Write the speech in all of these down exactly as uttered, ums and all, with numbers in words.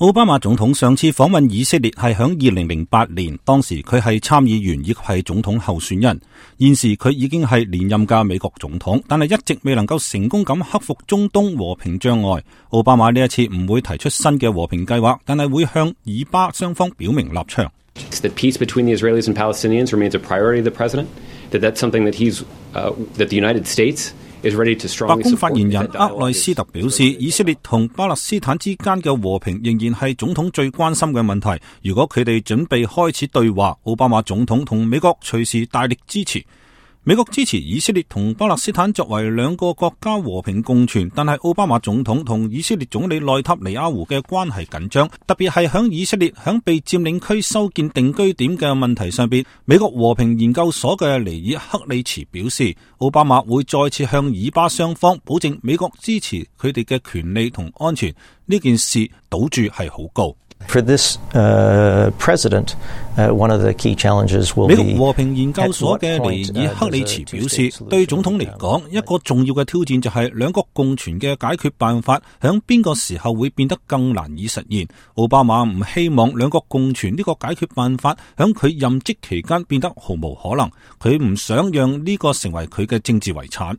奧巴馬總統上次訪問以色列係響二零零八年，當時佢係參議員，亦係總統候選人。現時佢已經係連任嘅美國總統，但係一直未能夠成功咁克服中東和平障礙。奧巴馬呢一次唔會提出新嘅和平計劃，但係會向以巴雙方表明立場。That peace between the Israelis and Palestinians remains a priority of the president. That that's something that he's uh, that the United States.白宮發言人厄內斯特表示，以色列同巴勒斯坦之間嘅和平仍然係總統最關心嘅問題。如果佢哋準備開始對話，奧巴馬總統同美國隨時大力支持。美國支持以色列同巴勒斯坦作為兩個國家和平共存，但係奧巴馬總統同以色列總理內塔尼亞胡嘅關係緊張，特別係響以色列響被佔領區修建定居點嘅問題上邊。美國和平研究所嘅尼爾克里茨表示，奧巴馬會再次向以巴雙方保證美國支持佢哋嘅權利同安全，呢件事賭注係好高。For this, uh, president, uh, one of the key challenges will be 美國和平研究所嘅尼爾克里茨表示，對總統嚟講，一個重要嘅挑戰就係兩國共存嘅解決辦法，響邊個時候會變得更難以實現。奧巴馬唔希望兩國共存呢個解決辦法響佢任職期間變得毫無可能，佢唔想讓呢個成為佢嘅政治遺產。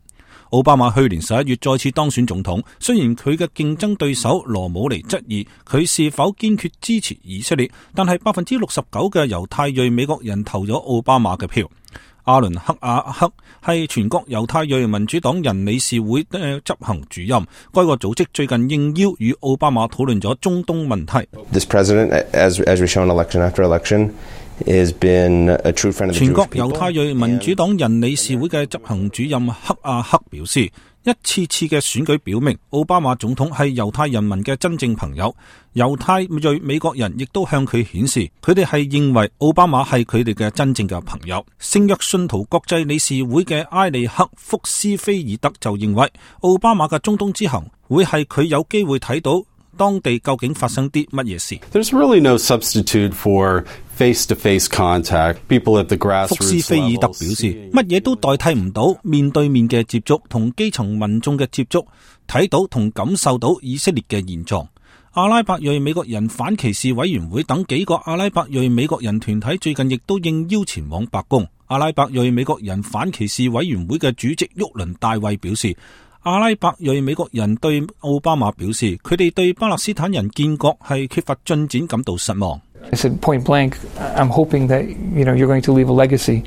奧巴馬去年十一月再次當選總統，雖然佢嘅競爭對手羅姆尼質疑佢是否堅決支持以色列，但係百分之六十九嘅猶太裔美國人投咗奧巴馬嘅票。阿倫克亞克係全國猶太裔民主黨人理事會嘅執行主任，該個組織最近應邀與奧巴馬討論咗中東問題。This president, as as we shown election after election.Has been a true friend of the Jewish people. 全國猶太裔民主黨人理事會嘅執行主任克亞克表示，一次次嘅選舉表明，奧巴馬總統係猶太人民嘅真正朋友。猶太裔美國人亦都向佢顯示，佢哋係認為奧巴馬係佢哋嘅真正嘅朋友。聖約信徒國際理事會嘅埃利克福斯菲爾德就認為，奧巴馬嘅中東之行會係佢有機會睇到當地究竟發生啲乜嘢事。There's really no substitute for face-to-face contact. People at the grassroots level. 福斯菲爾德表示，乜嘢都代替唔到面對面嘅接觸同基層民眾嘅接觸，睇到同感受到以色列嘅現狀。阿拉伯裔美國人反歧視委員會等幾個阿拉伯裔美國人團體最近亦都應邀前往白宮。阿拉伯裔美國人反歧視委員會嘅主席沃倫大衛表示，阿拉伯裔美國人對奧巴馬表示，佢哋對巴勒斯坦人建國係缺乏進展感到失望。I said point blank, I'm hoping that, you know, you're going to leave a legacy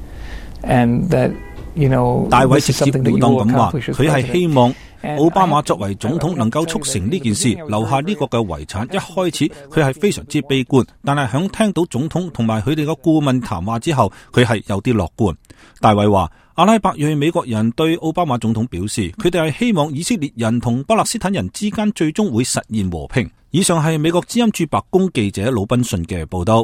and that, you know, 大衛直接了當咁話，佢係希望奧巴馬作為總統能夠促成呢件事，留下呢個嘅遺產。一開始佢係非常之悲觀，但係響聽到總統同埋佢哋嘅顧問談話之後，佢係有啲樂觀。大衛話，阿拉伯裔美國人對奧巴馬總統表示，佢哋係希望以色列人同巴勒斯坦人之間最終會實現和平。以上係美國之音駐白宮記者魯賓遜嘅報道。